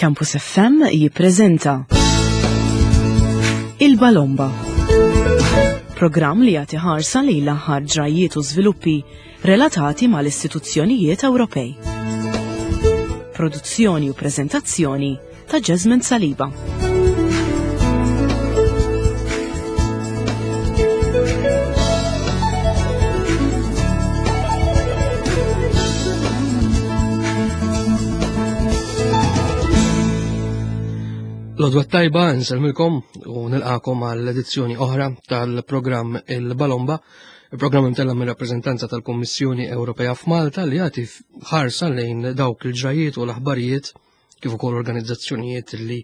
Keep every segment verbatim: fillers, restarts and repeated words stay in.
Campus F M jippreżenta Il-Balomba. Programm li jagħti ħarsa lejn l-aħħar ġrajiet u żviluppi relatati mal-istituzzjonijiet Ewropej. Produzzjoni u preżentazzjoni ta' Jasmine Saliba. L-għodwa t-tajba, nsellmilkom u nilqakom għall-edizzjoni oħra tal-programm Il-Balomba, il-programm imtella mir rappreżentanza tal-Kommissjoni Ewropea f'Malta li jagħti ħarsa lejn dawk il-ġrajiet u l-aħbarijiet kif ukoll organizzazzjonijiet li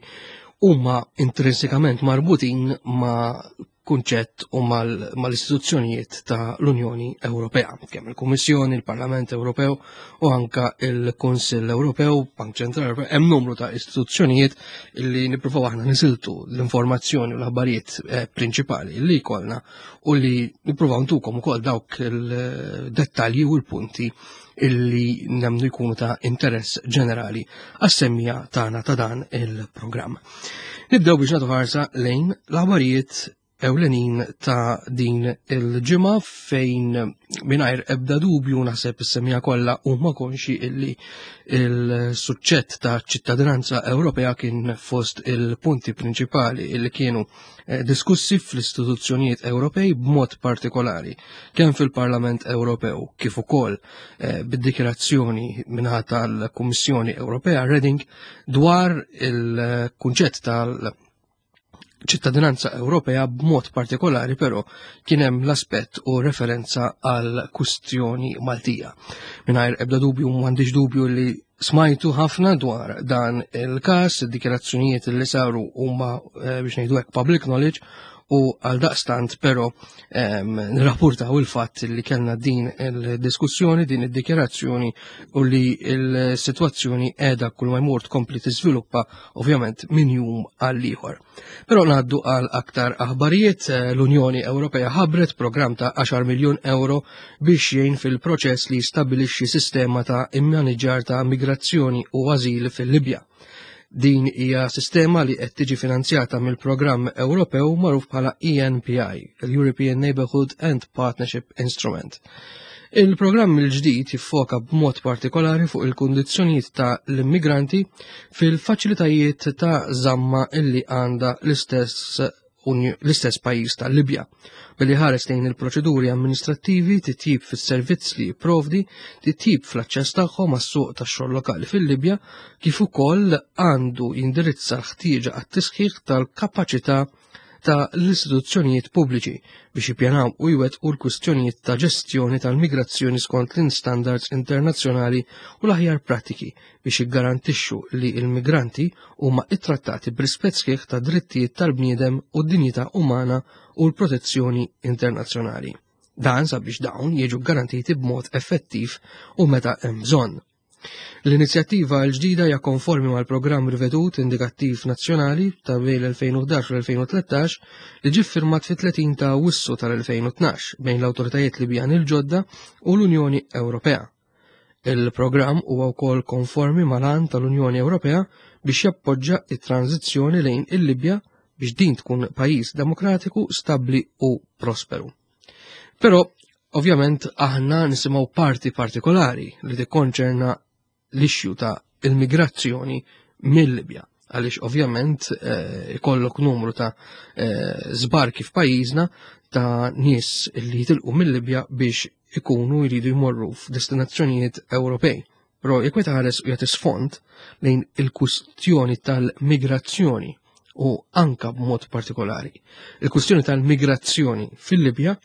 huma intrinsikament marbutin ma' kunċett u mal-istituzzjonijiet ta' l-Unjoni Ewropea, kemm il-Kummissjoni, il-Parlament Ewropew u anka il-Kunsill Ewropew, Bank Ċentrali Ewropew, hemm numru ta' istituzzjonijiet li nippruvaw aħna nisiltu l-informazzjoni u l-aħbarijiet eh, prinċipali li jkollna u li nippruvaw ntukom ukoll dawk il-dettalji u l-punti illi nemnu jkunu ta' interess ġenerali għas-semmija tagħna ta' dan il-programm. Nibdew biex nagħtu ħarsa lejn l-aħbarijiet ewlenin ta' din il-ġimgħa, fejn mingħajr ebda dubju naħseb is-semija kollha huma konxi illi il-suċċett ta' ċittadinanza Ewropea kien fost il-punti prinċipali illi kienu eh, diskussi fl-istituzzjonijiet Ewropej, b'mod partikolari kemm fil-Parlament Ewropew kif ukoll eh, bid-dikjarazzjoni minħata tal-Kummissjoni Ewropea Reding dwar il-kunċett tal ċittadinanza Ewropea. B'mod partikolari però kien hemm l-aspett u referenza għal kustjoni Maltija. Mingħajr ebda dubju, m'għandix dubju li smajtu ħafna dwar dan il-każ, id-dikjarazzjonijiet li saru huma eh, biex ngħidu hekk public knowledge, u għal daqstant però nirrapportaw il-fatt li kellna din il-diskussjoni, din id-dikjarazzjoni u li il-sitwazzjoni qiegħda kull ma jmur tkompli tiżviluppa, ovvjament minn jum għal ieħor. Però ngħaddu għal aktar aħbarijiet. L-Unjoni Ewropea ħabbret programm ta' għaxar miljun euro biex jgħin fil-proċess li jistabbilixxi sistema ta' immaniġġar ta' migrazzjoni u ażil fil-Libja. Din hija sistema li qed tiġi finanzjata mill-programm Ewropew magħruf bħala E N P I, l-European Neighbourhood and Partnership Instrument. Il-programm il-ġdid jiffoka b'mod partikolari fuq il-kundizzjonijiet ta' l-immigranti fil-faċilitajiet ta' żamma illi għandha l-istess l-istess pajjiż tal-Libja. Billi ħares lejn il-proċeduri amministrattivi, titjib fis-servizz li jipprovdi, titjib fl-aċċess tagħhom għas-suq tax-xogħol lokali fil-Libja, kif ukoll għandu jindirizza l-ħtieġa għat-tisħiħ tal-kapaċità ta' l-istituzzjonijiet pubbliċi biex jippjanaw u jwettqu l-kwistjonijiet ta' ġestjoni tal-migrazzjoni skont l-standards internazzjonali u l-aħjar prattiki biex jiggarantixxu li l-migranti huma ittrattati b'rispett sħiħ ta' drittijiet tal-bniedem u d-dinjità umana u l-protezzjoni internazzjonali. Dan sabiex dawn jiġu garantiti b'mod effettiv u meta hemm bżonn. L-inizjattiva l-ġdida hija konformi mal-programm rivedut indikattiv nazzjonali ta' bejn l-elfejn u ħdax u l-elfejn u tlettax li ġie firmat fit-tletin ta' Awwissu tal-elfejn u tnax bejn l-awtoritajiet Libjani l-ġodda u l-Unjoni Ewropea. Il-programm huwa wkoll konformi mal-għan tal-Unjoni Ewropea biex jappoġġa it-tranzizzjoni lejn il-Libja biex din tkun pajjiż demokratiku, stabbli u prosperu. Però ovvjament aħna nisimgħu parti partikolari li tikkonċerna l-issue ta' il-migrazzjoni mill-Libja, għaliex ovvjament eh, ikollok numru ta' eh, żbarki f'pajjiżna ta' nies li jitilqu mill-Libja biex ikunu jridu jmorru f'destinazzjonijiet Ewropej. Però jekk wieħed ħares u jagħti sfond lejn il-kwistjoni tal-migrazzjoni u anka b'mod partikolari il-kwistjoni tal-migrazzjoni fil-Libja,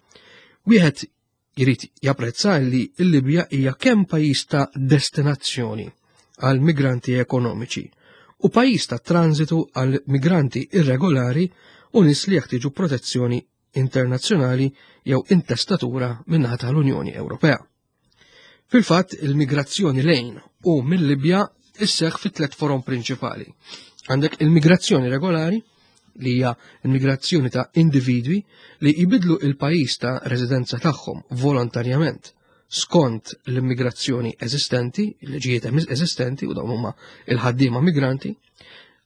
wieħed jrid japprezza li l-Libja hija kemm pajjiż ta' destinazzjoni għal migranti ekonomiċi u pajjiż ta' transitu għal migranti irregolari u nies li jeħtieġu protezzjoni internazzjonali jew intestatura min-naħa tal-Unjoni Ewropea. Fil-fatt, il-migrazzjoni lejn u mill-Libja isseħ fi tliet forom prinċipali. Għandek il-migrazzjoni regolari, li hija il-migrazzjoni ta' individwi li jibidlu il-pajjiż ta' residenza tagħhom volontarjament. skont l-immigrazzjoni eżistenti, il-liġijiet eżistenti u dawn huma il-ħaddiema migranti,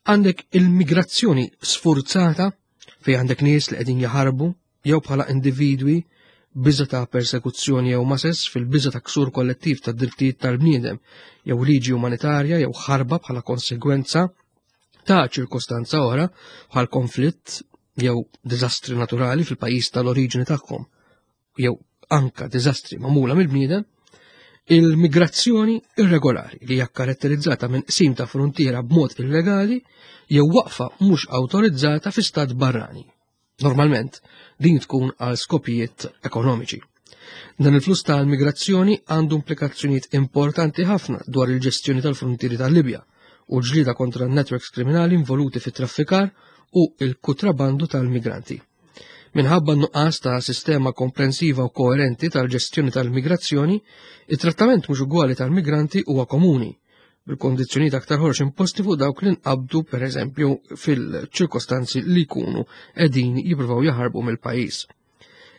għandek il-migrazzjoni sfurzata fejn għandek nies li qegħdin jaħarbu jew bħala individwi biża ta' persekuzzjoni jew masess fil-biża ta' ksur kollettiv ta' drittijiet tal-bniedem jew liġi umanitarja jew ħarba bħala konsegwenza ta' ċirkostanza oħra bħal konflitt jew diżastri naturali fil-pajjiż tal-oriġini tagħhom jew anka diżastri magħmula mill-bniedem, il-migrazzjoni irregolari li hija karatterizzata minn qsim ta' frontiera b'mod illegali jew waqfa mhux awtorizzata fi stat barrani. Normalment, din tkun għal skopijiet ekonomiċi. Dan il-flus tal-migrazzjoni għandu implikazzjonijiet importanti ħafna dwar il-ġestjoni tal-frontieri tal-Libja u l-ġlieda kontra n-networks kriminali involuti fit-traffikar u il-kutrabandu tal-migranti. Minħabba n-nuqqas ta' sistema komprensiva u koerenti tal-ġestjoni tal-migrazzjoni, it-trattament mhux ugwali tal-migranti huwa komuni, bil-kondizzjonijiet aktar ħorx imposti fuq dawk li nqabdu pereżempju fil-ċirkostanzi li jkunu qegħdin jippruvaw jaħarbu mill-pajjiż.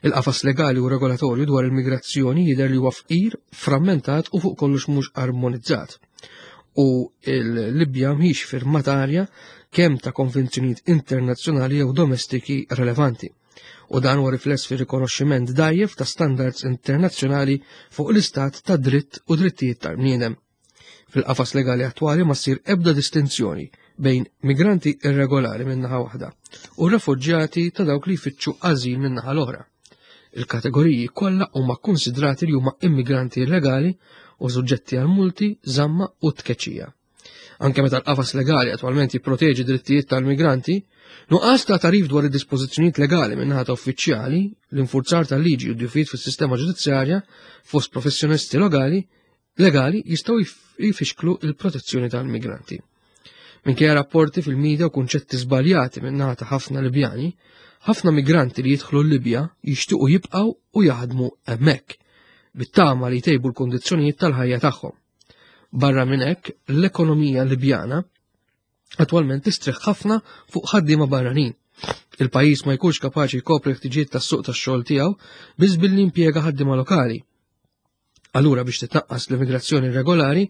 Il-qafas legali u regolatorju dwar il-migrazzjoni jidher li huwa fqir, frammentat u fuq kollox mhux armonizzat. U l-Libja mhix firmatarja kemm ta' konvenzjonijiet internazzjonali jew domestiki relevanti. U dan huwa rifless fir-rikonoxximent dgħajjef ta' standards internazzjonali fuq l-istat ta' dritt u drittijiet tal-bniedem. Fil-qafas legali attwali ma ssir ebda distinzjoni bejn migranti irregolari minn naħa waħda u refuġjati ta' dawk li jfittxu ażil minn naħa l-oħra. Il-kategoriji kollha huma kkunsidrati li huma immigranti illegali u suġġetti għal multi, żamma u tkeċċija. Anke meta l-qafas legali attwalment jipproteġi drittijiet tal-migranti, nuqqas ta' tarif dwar id-dispożizzjonijiet legali minn naħa ta' uffiċjali, l-infurzar tal-liġi u d-djufijiet fis-sistema ġudizzjarja fost professjonisti legali, legali jistgħu jfixklu il-protezzjoni tal-migranti. Minkejja rapporti fil-medja u kunċetti żbaljati minn naħa ta' ħafna Libjani, ħafna migranti li jidħlu l-Libja jixtiequ jibqgħu u jaħdmu hemmhekk, bit-tama li jtejbu l-kondizzjonijiet tal-ħajja tagħhom. Barra minn hekk, l-ekonomija Libjana attwalment tistrieħ ħafna fuq ħaddiema barranin. Il-pajjiż ma jkunx kapaċi jkopri ħtiġijiet tas-suq tax-xogħol tiegħu biss billi impjega ħaddiema lokali. Allura biex titnaqqas l-immigrazzjoni irregolari,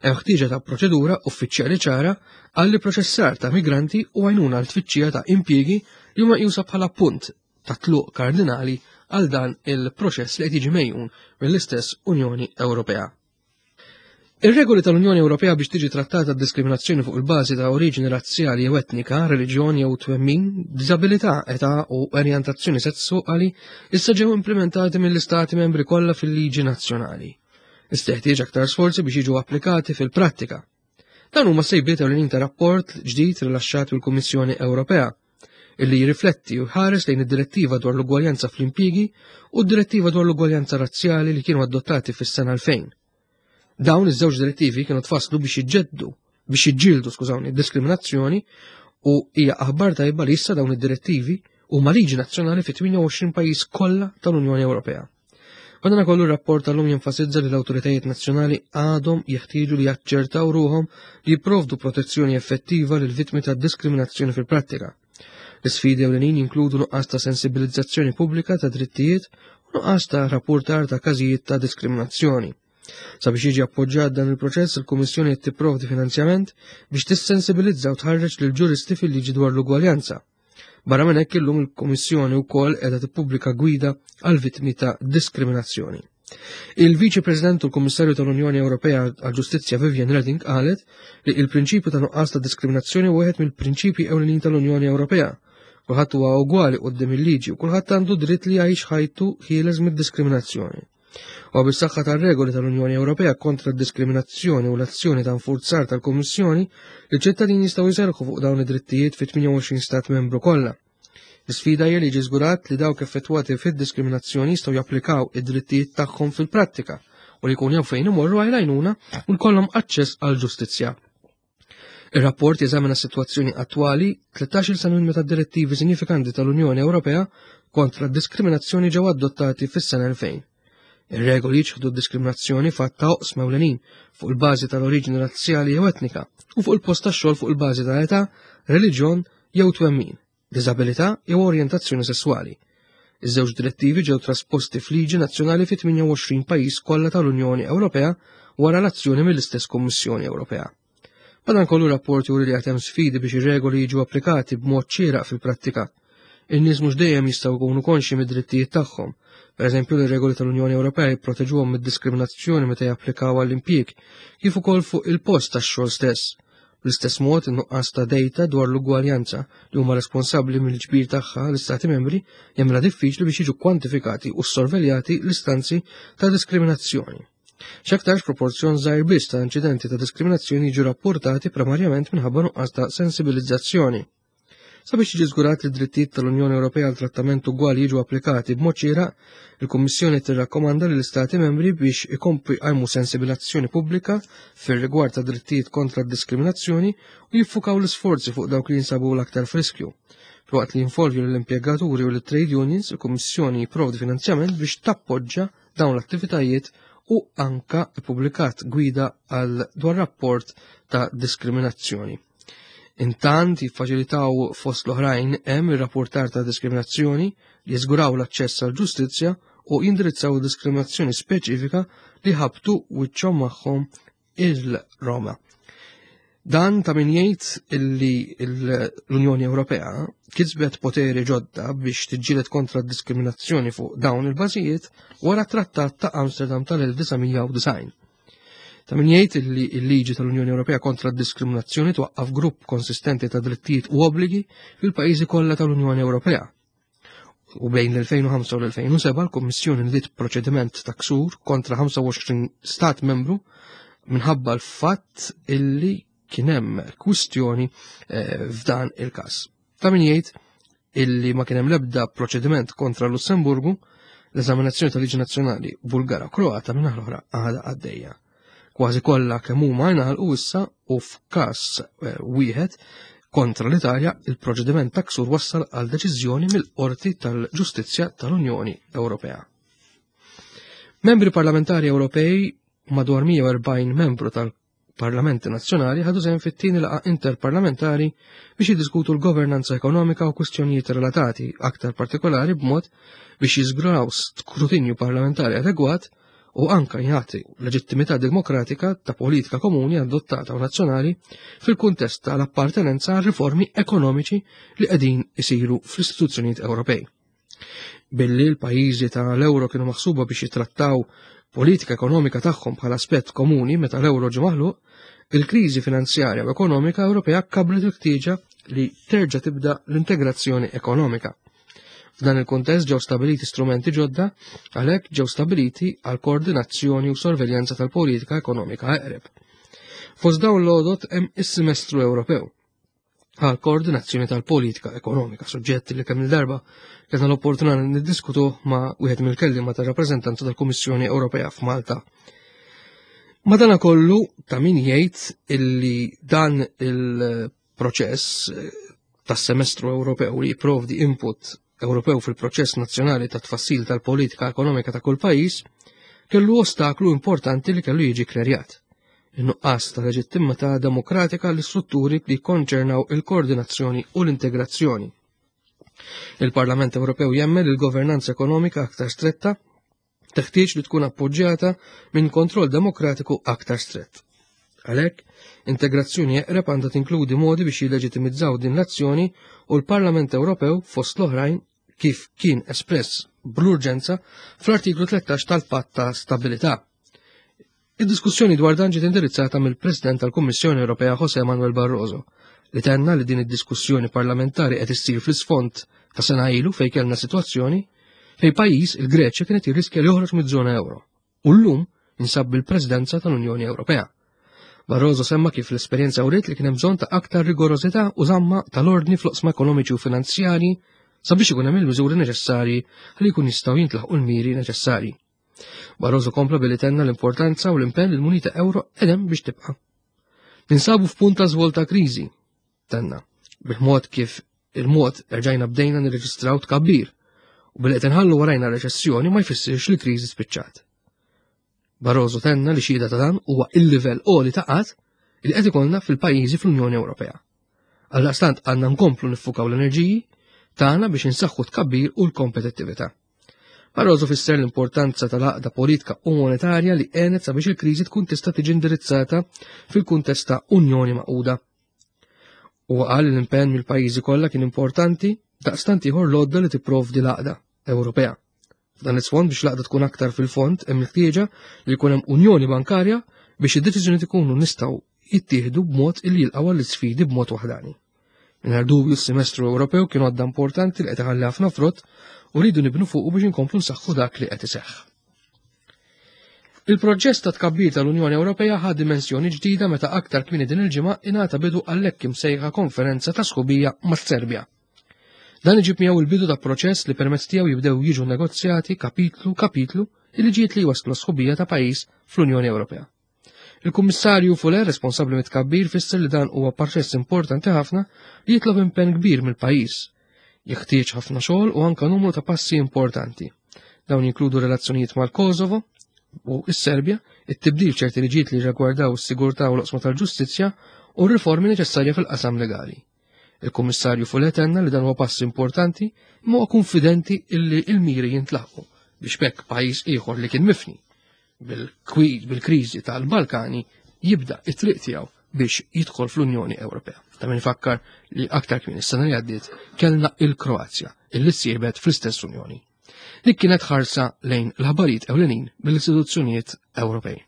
hemm ħtieġa ta' proċedura uffiċjali ċara għall proċessar ta' migranti u għajnuna għal tfittxija ta' impjiegi li huma meqjusa bħala punt ta' tluq kardinali għal dan il-proċess li qed jiġi mejjun mill-istess Unjoni Ewropea. Ir-regoli tal-Unjoni Ewropea biex tiġi trattata d-diskriminazzjoni fuq il-bażi ta' oriġini razzjali jew etnika, reliġjon jew twemmin, diżabilità, età u orjentazzjoni sesswali issa ġew implementati mill-istati membri kollha fil-liġi nazzjonali. Issa teħtieġ aktar sforzi biex jiġu applikati fil-prattika. Dan huma sejbiet ewlenin ta' rapport ġdid rilaxxat mill-Kummissjoni Ewropea illi jirrifletti u jħares lejn id-direttiva dwar l-ugwaljanza fl-impjiegi u d-direttiva dwar l-ugwaljanza razzjali li kienu adottati fis-sena elfejn. Dawn iż-żewġ direttivi kienu tfasslu biex jiġġeddu, biex jiġġieldu, skużawni, diskriminazzjoni u hija aħbar tajba li issa dawn id-direttivi huma liġi nazzjonali fi tmienja u għoxrin pajjiż kollha tal-Unjoni Ewropea. Madankollu r-rapport tal-lum jenfasizza li l-awtoritajiet nazzjonali għadhom jeħtieġu li jaċċertaw ruhom li jipprovdu protezzjoni effettiva lil vittmi ta' diskriminazzjoni fil-prattika. L-isfidi ewlenin jinkludu nuqqas ta' sensibilizzazzjoni pubblika ta' drittijiet u nuqqas ta' rapportar ta' każijiet ta' diskriminazzjoni. Sabiex jiġi appoġġjat dan il-proċess, il-Kummissjoni qed tipprovdi finanzjament biex tissensibilizza u tħarreġ lil ġuristi fil-liġi dwar l-ugwaljanza. Barra minn hekk illum il-Kummissjoni wkoll qiegħda tippubblika gwida għal vittmi ta' diskriminazzjoni. Il-Viċi President u l-Kummissarju tal-Unjoni Ewropea għall-Ġustizzja Viviane Reding qalet li il-prinċipju ta' nuqqas ta' diskriminazzjoni huwa wieħed mill-prinċipji ewlenin tal-Unjoni Ewropea. Kulħadd huwa ugwali quddiem il-liġi u kulħadd għandu dritt li jgħix ħajtu ħieles mid-diskriminazzjoni. U bis-saħħa tar-regoli tal-Unjoni Ewropea kontra d-diskriminazzjoni u l-azzjoni ta' nfurzar tal-Kummissjoni, il-ċittadini jistgħu jserħu fuq dawn id-drittijiet fi tmienja u għoxrin stat membru kollha. L-isfida hija li jiġi żgurat li dawk effettwati fid-diskriminazzjoni jistgħu japplikaw id-drittijiet tagħhom fil-prattika u li jkun jew fejn imorru għal għajnuna u jkollhom aċċess għall-ġustizzja. Ir-rapport jeżamina s-sitwazzjoni attwali tlettax-il sena minn meta d-direttivi sinifikanti tal-Unjoni Ewropea kontra d-diskriminazzjoni ġew adottati fis-sena elfejn. Ir-regoli jiċħdu d-diskriminazzjoni fatt ta' oqsma ewlenin fuq il-bażi tal-oriġini razzjali jew etnika u fuq il-post tax-xogħol fuq il-bażi ta' età, reliġjon jew twemmin, diżabilità jew orjentazzjoni sesswali. Iż-żewġ direttivi ġew trasposti f'liġi nazzjonali fi tmienja u għoxrin pajjiż kollha tal-Unjoni Ewropea wara l-azzjoni mill-istess Kummissjoni Ewropea. Madankollu rapport juri li għad hemm sfidi biex ir-regoli jiġu applikati b'mod xieraq fil-prattika. In-nies mhux dejjem jistgħu jkunu konxji mid-drittijiet tagħhom. Pereżempju, l-regoli tal-Unjoni Ewropea jipproteġuhom mid-diskriminazzjoni meta japplikaw għall-impjieg, kif ukoll fuq il-post tax-xogħol stess. Bl-istess mod, in-nuqqas ta' data dwar l-ugwaljanza li huma responsabbli mill-ġbir tagħha l-Istati membri jagħmilha diffiċli biex jiġu kwantifikati u sorveljati l-istanzi ta' diskriminazzjoni. X'aktarx proporzjon żgħir biss ta' inċidenti ta' diskriminazzjoni jiġu rapportati primarjament minħabba nuqqas ta' sensibilizzazzjoni. Sabiex jiġi żgurat li d-drittijiet tal-Unjoni Ewropea għal trattament ugwali jiġu applikati b'mod xieraq, il-Kummissjoni tirrakkomanda lill istati membri biex ikomplu jqajmu sensibilizzazzjoni pubblika fir-rigward ta' drittijiet kontra d-diskriminazzjoni u jiffukaw l-isforzi fuq dawk li jinsabu l-aktar f'riskju. Filwaqt li jinvolvu lill-impjegaturi u l-trade unions, il-Kummissjoni jipprovdi finanzjament biex tappoġġa dawn l-attivitajiet u anka ippubblikat gwida għal dwar rapport ta' diskriminazzjoni. Intant jiffaċilitaw fost l-oħrajn hemm ir-rapportar ta' diskriminazzjoni li jiżguraw l-aċċess għal ġustizzja u jindirizzaw diskriminazzjoni speċifika li ħabtu wiċċhom magħhom il-Roma. Dan ta' min jgħid illi l-Unjoni Ewropea kisbet poteri ġodda biex tiġġieled kontra d-diskriminazzjoni fuq dawn il-bażijiet wara t-Trattat ta' Amsterdam tal-elf disa' mija u disgħin. Ta' min jgħid illi l-liġi tal-Unjoni Ewropea kontra d-diskriminazzjoni twaqqaf grupp konsistenti ta' drittijiet u obbligi fil-pajjiżi kollha tal-Unjoni Ewropea. U bejn l-elfejn u ħamsa u l-elfejn u seba' l-Kummissjoni ndiet proċediment ta' ksur kontra ħamsa u għoxrin stat membru minħabba l-fatt illi kien hemm kwistjoni, eh, f'dan il-każ. Ta' min jgħid illi ma kien hemm l-ebda proċediment kontra Lussemburgu, l-eżaminazzjoni tal-Liġi Nazzjonali Bulgara u Kroata minn l-oħra għadha għaddejja. Kważi kollha kemm huma ngħalqu issa u f'każ, eh, wieħed kontra l-Italja il-proċediment ta' ksur wassal għal deċiżjoni mill-Qorti tal-Ġustizzja tal-Unjoni Ewropea. Membri parlamentari Ewropej madwar mija u erbgħin membru tal-Parlamenti Nazzjonali ħadu sehem fit-tieni laqgħa interparlamentari biex jiddiskutu l-governanza ekonomika u kwistjonijiet relatati, aktar partikolari b'mod biex jiżguraw skrutinju parlamentari adegwat u anka jagħti leġittimità demokratika ta' politika komuni adottata u nazzjonali fil-kuntest tal-appartenenza għal riformi ekonomiċi li qegħdin isiru fl-istituzzjonijiet Ewropej. Billi l-pajjiżi tal-euro kienu maħsuba biex jitrattaw politika ekonomika tagħhom bħala aspett komuni meta l-euro ġie maħluq, il-kriżi finanzjarja u ekonomika Ewropea kablet il-ħtieġa li terġa' tibda l-integrazzjoni ekonomika. F'dan il-kuntest ġew stabiliti strumenti ġodda, għalhekk ġew stabiliti għal koordinazzjoni u sorveljanza tal-politika ekonomika eqreb. Fost dawn l-għodot hemm is-semestru Ewropew għal koordinazzjoni tal-politika ekonomika, suġġett li kemm il-darba kellna l-opportunità niddiskutu ma' wieħed mill-kelliema tar-rappreżentanza tal-Kummissjoni Ewropea f'Malta. Madanakollu ta' min jgħid illi dan il-proċess tas-semestru Ewropew li jipprovdi input Ewropew fil-proċess nazzjonali ta' tfassil tal-politika ekonomika ta' kull pajjiż kellu ostaklu importanti li kellu jiġi klerjat. In-nuqqas ta' leġittimità demokratika l-istrutturi li jikkonċernaw il-koordinazzjoni u l-integrazzjoni. Il-Parlament Ewropew jemmen li l-governanza ekonomika aktar stretta teħtieġ li tkun appoġġjata minn kontroll demokratiku aktar strett. Għalhekk, integrazzjoni eqreb għandha tinkludi modi biex jilleġittimizzaw din l-azzjoni u l-Parlament Ewropew fost l-oħrajn kif kien espress bl-urġenza fl-artiklu tlettax tal-Patt ta' Stabilità. Id-diskussjoni dwar dan ġiet indirizzata mill-President tal-Kummissjoni Ewropea José Manuel Barroso, li tenna li din id-diskussjoni parlamentari qed issir fl-isfond ta' sena ilu fejn kellna sitwazzjoni fejn pajjiż il-Greċja kienet jirriskja li joħroġ miż-żona euro u llum jinsab bil-Presidenza tal-Unjoni Ewropea. Barroso semma kif l-esperjenza uriet li kien hemm bżonn ta' aktar rigorożità u żamma tal-ordni fl-oqsma ekonomiċi u finanzjarji sabiex ikun hemm il-miżuri neċessarji ħalli jkun jistgħu jintlaħqu l-miri neċessarji. Barroso kompla billi tenna l-importanza u l-impenn li l-munita euro edem biex tibqa'. Ninsabu f'punt ta' żvolta kriżi, tenna, bil-mod kif il-mod erġajna bdejna nirreġistraw tkabbir u billi qed inħallu warajna reċessjoni ma jfissirx li kriżi spiċċat. Barroso tenna li xhieda ta' dan huwa il-livell għoli ta' qgħad li qed ikollna fil-pajjiżi fl-Unjoni Ewropea. Għaldaqstant għandna nkomplu niffukaw l-enerġiji tagħna biex insaħħu tkabbir u l-kompetittività. Barroso fisser l-importanza tal-għaqda politika u monetarja li għenet sabiex il-kriżi tkun tista' tiġi indirizzata fil-kuntest ta' Unjoni Magħquda. Huwa qal li l-impenn mill-pajjiżi kollha kien importanti daqstant ieħor l-għodda li tipprovdi l-għaqda Ewropea. F'dan l-isfond biex l-għaqda tkun aktar fil-fond hemm il-ħtieġa li jkun hemm Unjoni Bankarja biex id-deċiżjonijiet ikunu nistgħu jittieħdu b'mod illi jilqgħu għall-isfidi b'mod waħdani. Mingħajr dubju s-semestru Ewropew kien għodda importanti li qed iħalli ħafna frott u rridu nibnu fuqu biex inkomplu nsaħħu dak li qed iseħħ. Il-proġett ta' tkabbir tal-Unjoni Ewropea ħa dimensjoni ġdida meta aktar kmieni din il-ġimgħa ingħata bidu għall-hekk imsejħa konferenza ta' sħubija mas-Serbja. Dan iġib miegħu il-bidu ta' proċess li permezz tiegħu jibdew jiġu negozjati kapitlu kapitlu il-liġijiet li waslu sħubija ta' pajjiż fl-Unjoni Ewropea. Il-Kummissarju Füle, responsabbli mit-tkabbir, fisser li dan huwa proċess importanti ħafna li jitlob impenn kbir mill-pajjiż. Jeħtieġ ħafna xogħol u anke numru ta' passi importanti. Dawn jinkludu relazzjonijiet mal-Kosovo u s-Serbja, it-tibdil ċerti liġijiet li rigwardaw is-sigurtà u l-oqsma tal-ġustizzja u r-riformi neċessarja fil-qasam legali. Il-Kummissarju Füle tenna li dan huwa pass importanti imma huwa konfidenti illi l-miri jintlaħqu biex b'hekk pajjiż ieħor li kien mifni bil-kwid bil-kriżi tal-Balkani jibda it-triq tiegħu biex jidħol fl-Unjoni Ewropea. Ta' min ifakkar li aktar kmieni s-sena li għaddiet kellna il-Kroazja illi ssiebet fl-istess Unjoni. Dik kienet ħarsa lejn l-aħbarijiet ewlenin mill-istituzzjonijiet Ewropej.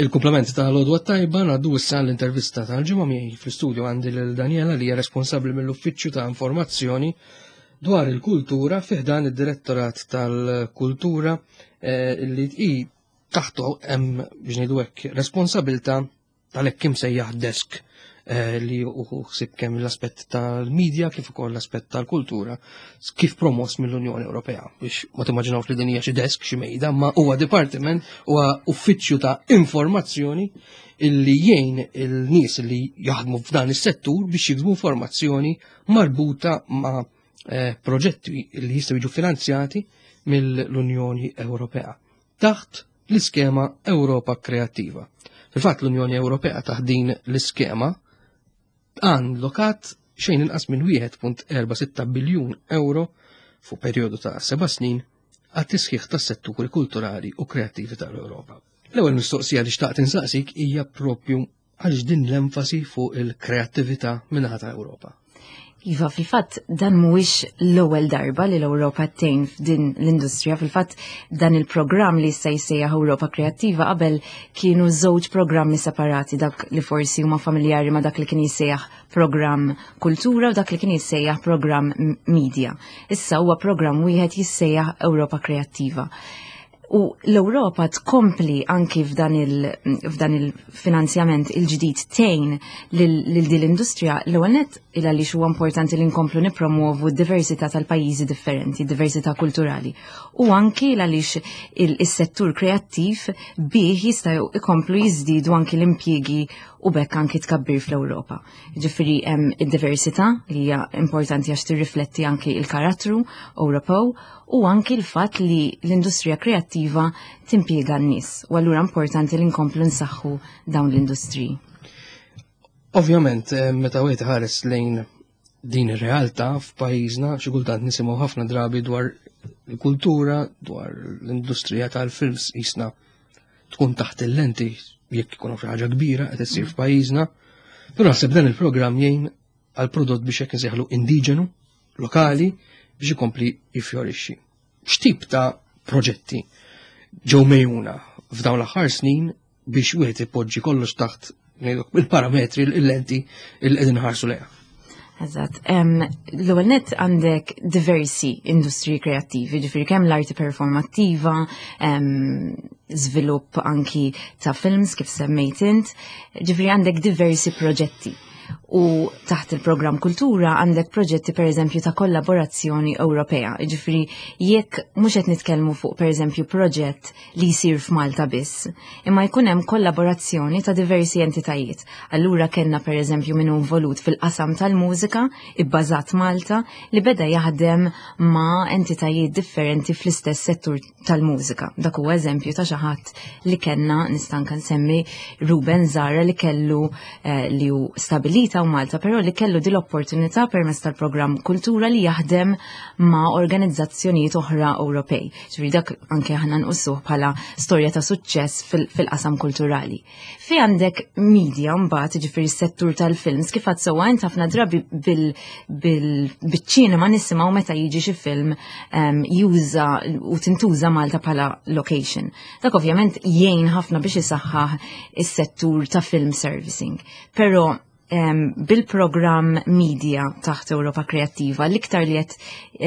Il-komplement ta' l-għodwa tajba ngħaddu issa l-intervista tal-ġimgħa miegħi fl-istudio għandi lil Daniela li hija responsabbli mill-Uffiċċju ta' Informazzjoni dwar il-Kultura fi ħdan id-Direttorat tal-Kultura li hi taħtu hemm biex ngħidu hekk responsabilità tal-hekk imsejjaħ desk li hu ħsieb kemm l-aspett tal-medja kif ukoll l-aspett tal-kultura kif promoss mill-Unjoni Ewropea biex ma timmaġinawx li din hija xi desk xi mejda ma huwa dipartiment huwa uffiċċju ta' informazzjoni illi jgħin il-nies li jaħdmu f'dan is-settur biex jiksbu informazzjoni marbuta ma' proġetti li jistgħu jiġu finanzjati mill-Unjoni Ewropea taħt l-iskema Ewropa Kreattiva. Fil-fatt l-Unjoni Ewropea taħt din l-iskema għan lokat xejn inqas minn wieħed punt erba' sitta biljun euro fuq perjodu ta' seba' snin għat-tisħiħ tas-setturi kulturali u kreattivi tal-Ewropa. L-ewwel mistoqsija li xtaqt insaqsik hija propju għaliex din l-enfasi fuq il-kreattività min-naħa ta' Ewropa. Iva, fil-fatt dan mhuwiex l-ewwel darba li l-Ewropa tgħin f'din l-industrija. Fil-fatt dan il-programm li issa jsejjaħ Ewropa Kreattiva qabel kienu żewġ programmi separati, dak li forsi huma familjari ma' dak li kien jissejjaħ programm Kultura u dak li kien jissejjaħ programm Media. Issa huwa programm wieħed jissejjaħ Ewropa Kreattiva. U l-Ewropa tkompli anki f'dan il, il-finanzjament il-ġdid tgħin lil din l-industrija. L-ewwel nett il għaliex huwa importanti li nkomplu nippromovu d-diversità tal-pajjiżi differenti, diversità kulturali. U anki għaliex is-settur kreattiv bih jistgħu ikomplu jiżdiedu anki l-impjiegi u bekk anki tkabbir fl-Ewropa. Ġifieri hemm id-diversità li hija importanti għax tirrifletti anki il-karattru Ewropew u anki l-fatt li l-industrija kreattiva timpjega n-nies. U allura importanti li nkomplu nsaħħu dawn l-industriji. Ovvjament, meta wieħed ħares lejn din ir-realtà f'pajjiżna, xi kultant nisimgħu ħafna drabi dwar il-kultura, dwar l-industrija tal-films jisna tkun taħt il-lenti jekk ikun xi ħaġa kbira qed issir f'pajjiżna. Però naħseb dan il-programm jgħin għal prodott biex hekk insejħlu indiġenu, lokali, biex ikompli jifjorixxi. X'tip ta' proġetti ġew mejjuna f'dawn l-aħħar snin biex wieħed ipoġġi kollox taħt il-parametri, il-lenti il qegħdin ħarsu lejha? Eżatt. L-ewwel nett għandek diversi industriji kreattivi, ġifieri kemm l-arti performattiva, żvilupp anki ta' films kif semmejt int, ġifieri għandek diversi proġetti. U taħt il-programm Kultura għandek proġetti, per eżempju, ta' kollaborazzjoni Ewropea. Ġifieri jekk mhux qed nitkellmu fuq, per eżempju, proġett li jsir f'Malta biss, imma jkun hemm kollaborazzjoni ta' diversi entitajiet. Allura kellna, per eżempju, min hu involut fil-qasam tal-mużika ibbażat Malta li beda jaħdem ma' entitajiet differenti fl-istess settur tal-mużika. Dak huwa eżempju ta' xi ħadd li kellna. Nista' anke nsemmi Ruben Zara li kellu eh, li hu stabilita u Malta, però li kellu din l-opportunità permezz tal-programm Kultura li jaħdem ma' organizzazzjonijiet oħra Ewropej. Ġifieri dak anke aħna nqisuh bħala storja ta' suċċess fil-qasam kulturali. Fi għandek media mbagħad, ġifieri s-settur tal-films, kif għad sewwa int, ħafna drabi bil-ċinema nisimgħu meta jiġi xi film juża u tintuża Malta bħala location. Dak ovvjament jgħin ħafna biex isaħħaħ is-settur ta' film servicing. Però um, bil-programm Media taħt Europa Kreattiva l-iktar li qed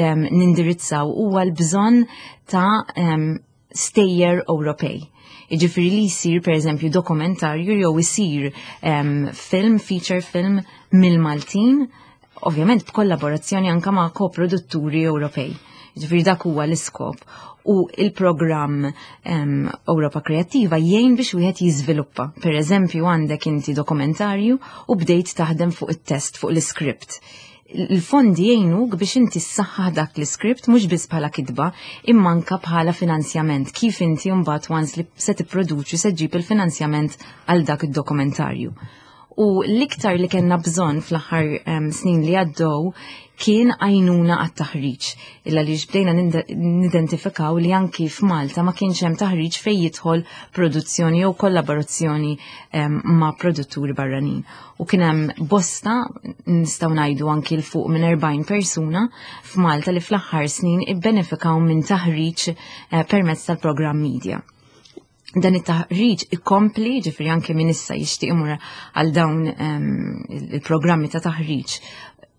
um, nindirizzaw huwa l-bżonn ta' um, stejjer Ewropej. Iġifieri li jisir, per eżempju, dokumentarju jew jisir um, film, feature film mill-Maltin, ovvjament b'kollaborazzjoni anka ma' koprodutturi Ewropej. Ġifieri dak huwa l-iskop. U il-programm um, Europa Kreattiva jgħin biex wieħed jiżviluppa. Per eżempju, għandek inti dokumentarju u bdejt taħdem fuq it-test, fuq l-script. Il-fondi jgħinuk biex inti ssaħħaħ dak l-script mhux biss bħala kitba, imma anka bħala finanzjament. Kif inti mbagħad, once li se tipproduċi, se ġġib il-finanzjament għal dak id-dokumentarju. U l-iktar li kellna bżonn fl-aħħar um, snin li għaddew kien għajnuna għat-taħriġ. Illa li bdejna nidentifikaw li anki f'Malta ma kienx hemm taħriġ fejn jidħol produzzjoni jew kollaborazzjoni um, ma' produtturi barranin. U kien hemm bosta, nistgħu ngħidu anki 'l fuq minn erbgħin persuna f'Malta li fl-aħħar snin ibbenefikaw minn taħriġ uh, permezz tal-programm Media. Dan it-taħriġ ikompli, ġifieri anke min issa jixtieq imur għal dawn um, il-programmi ta' taħriġ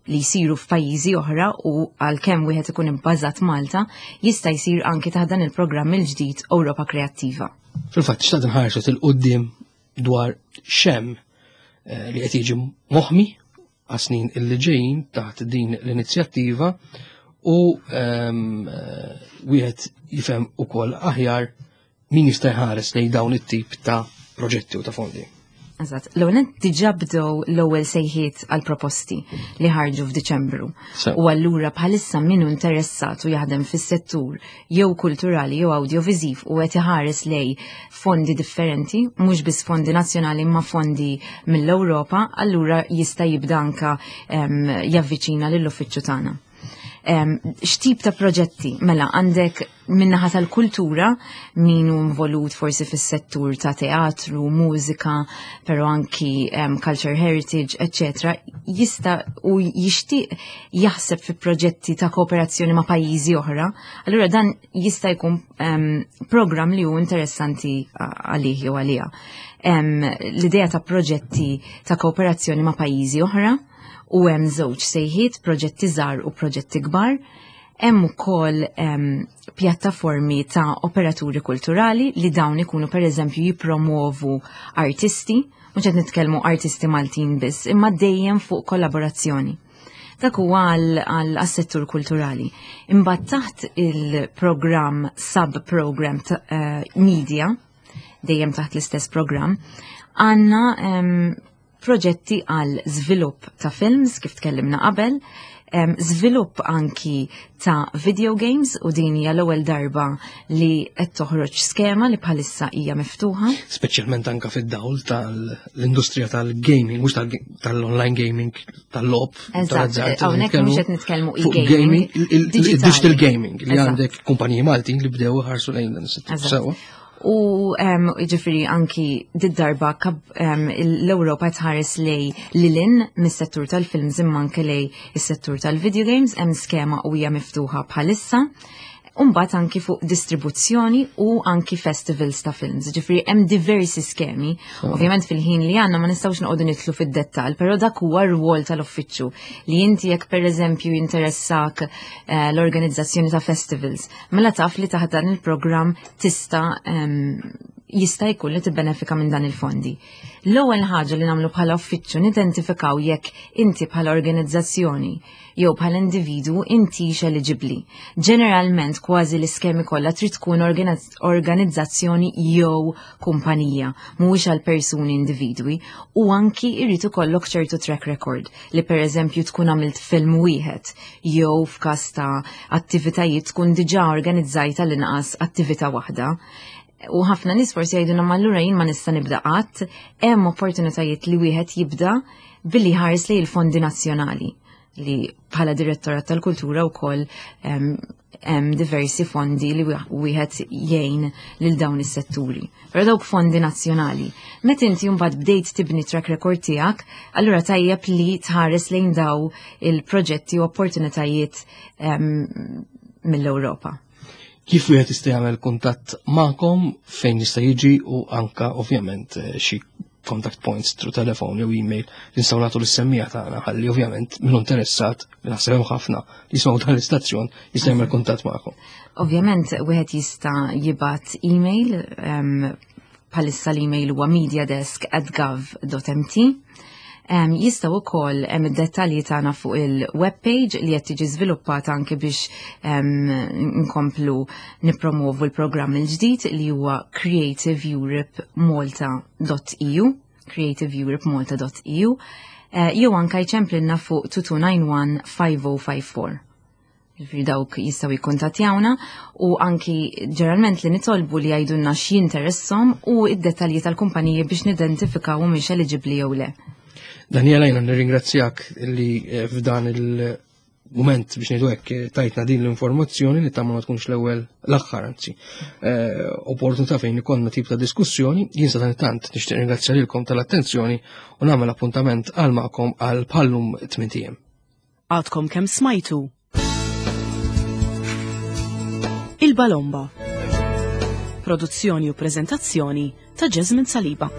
li jsiru f'pajjiżi oħra u għalkemm wieħed ikun ibbażat Malta, jista' jsir anke taħt dan il-programm il-ġdid Ewropa Kreattiva. Fil-fatt, xtaqt nħarsu 'l quddiem dwar x'hemm eh, li qed jiġi moħmi għas-snin illi ġejjin taħt din l-inizjattiva u ehm, eh, wieħed jifhem ukoll aħjar min jista' jħares lejn dawn it-tip ta' proġetti u ta' fondi. Eżatt, l-ewwel diġà bdew l-ewwel sejħiet għal proposti li ħarġu f'Diċembru. U allura bħalissa min hu interessat u jaħdem fis-settur jew kulturali jew audiovisiv u qed iħares lejn fondi differenti, mhux biss fondi nazzjonali imma fondi mill-Ewropa, allura jista' jibda anka javviċina lill-uffiċċju tagħna. X'tip ta' proġetti? Mela, għandek min-naħa tal-kultura min hu involut forsi fis-settur ta' teatru, mużika, però anki um, culture heritage, eccetera, jista' u jixtieq jaħseb fi proġetti ta' kooperazzjoni ma' pajjiżi oħra, allura dan jista' jkun um, program li hu interessanti għalih jew għaliha. Um, L-idea ta' proġetti ta' kooperazzjoni ma' pajjiżi oħra, u hemm żewġ sejħiet, proġetti żgħar u proġetti kbar. Hemm ukoll um, pjattaformi ta' operaturi kulturali li dawn ikunu, pereżempju, jippromovu artisti, mhux qed nitkellmu artisti Maltin biss, imma dejjem fuq kollaborazzjoni. Dak huwa għal-settur kulturali. Imbagħad taħt il-programm sub-program uh, media, dejjem taħt l-istess programm, għandna um, proġetti għal żvilupp ta' films kif tkellimna qabel, um, żvilupp anki ta' video games, u din hija l-ewwel darba li qed toħroġ skema li bħalissa hija miftuħa. Speċjalment anka fid-dawl tal-industrija tal-gaming, mhux tal-online gaming, tal-logħob. Eżatt, hawnhekk mhux qed nitkellmu e-gaming. Digital gaming li għandek kumpaniji Maltin li bdew ħarsu lejn dan is-settur. Sewa. U ġifieri anki did-darba um, l-Ewropa tħares lejn lil hinn mis-settur tal-films imma anke lejn is-settur tal-video games, hemm skema u hija miftuħa bħalissa. Umbagħad anki fuq distribuzzjoni u anki festivals ta' films. Ġifieri hemm diversi skemi. Ovvjament fil-ħin li għandna ma nistgħux noqogħdu nidħlu fid-dettall, però dak huwa r-rwol tal-uffiċċju li inti jekk, pereżempju, jinteressak eh, l-organizzazzjoni ta' festivals, mela taf li taħt dan il-programm tista' em, Jista' jkun li tibbenefika minn dan il-fondi. L-ewwel ħaġa li nagħmlu bħala uffiċċju, nidentifikaw jekk inti bħala organizzazzjoni jew bħala individwu intix eligibbli. Ġeneralment, kważi l-iskemi kollha trid tkun organizzazzjoni jew kumpanija, mhuwiex għal persuni individwi, u anki jrid ikollok ċertu track record, li pereżempju tkun għamilt film wieħed jew f'każ ta' attivitajiet tkun diġà organizzajta l-inqas attività waħda. U ħafna nies forsi jgħidulna, "Ma allura jien ma nista' nibda qatt?" Hemm opportunitajiet li wieħed jibda billi ħares li il-fondi nazzjonali, li bħala Direttorat tal-Kultura wkoll hemm diversi fondi li wieħed jgħin lil dawn is-setturi. Però dawk fondi nazzjonali. Meta inti mbagħad bdejt tibni track record tiegħek, allura tajjeb li tħares lejn daw il-proġetti u opportunitajiet mill-Ewropa. Kif wieħed jista' jagħmel kuntatt magħkom, fejn jista' jiġi, u anka ovvjament eh, xi contact points through telefon jew email li nistgħu nagħtu lis-semmiegħa tagħna, ħalli ovvjament min interessat, li naħseb hemm ħafna li jismgħu dan l-istazzjon, jista' jagħmel kuntatt magħkom? Ovvjament wieħed jista' jibgħat email. Bħalissa l-email huwa mediadesk at gov dot M T. Um, jistgħu wkoll, hemm id-dettalji tagħna fuq il-webpage li qed tiġi żviluppata anke biex um, nkomplu nippromovu l-programm il-ġdid, li huwa creativeeuropemalta dot E U, creativeeuropemalta dot E U, uh, jew anke jċemplilna fuq two two nine one five oh five four. Ġifieri dawk jistgħu jikkuntattjawna, u anki ġeneralment li nitolbu li jgħidulna x'jinteresshom u id-dettalji tal-kumpaniji biex nidentifikaw humiex eligibbli jew le. Daniela, jiena nirringrazzjak li eh, f'dan il-moment, biex ngħidu hekk, eh, tajtna din l-informazzjoni li tamma ma tkunx l-ewwel, l-aħħar anzi, eh, opportunità fejn ikollna tip ta' diskussjoni. Jien sa tant nixtieq ringrazzja lilkom tal-attenzjoni u nagħmel appuntament għal magħkom għal bħal-lum tmint ijiem. Għadkom kemm smajtu Il-Balomba. Produzzjoni u prezentazzjoni ta' Jasmine Saliba.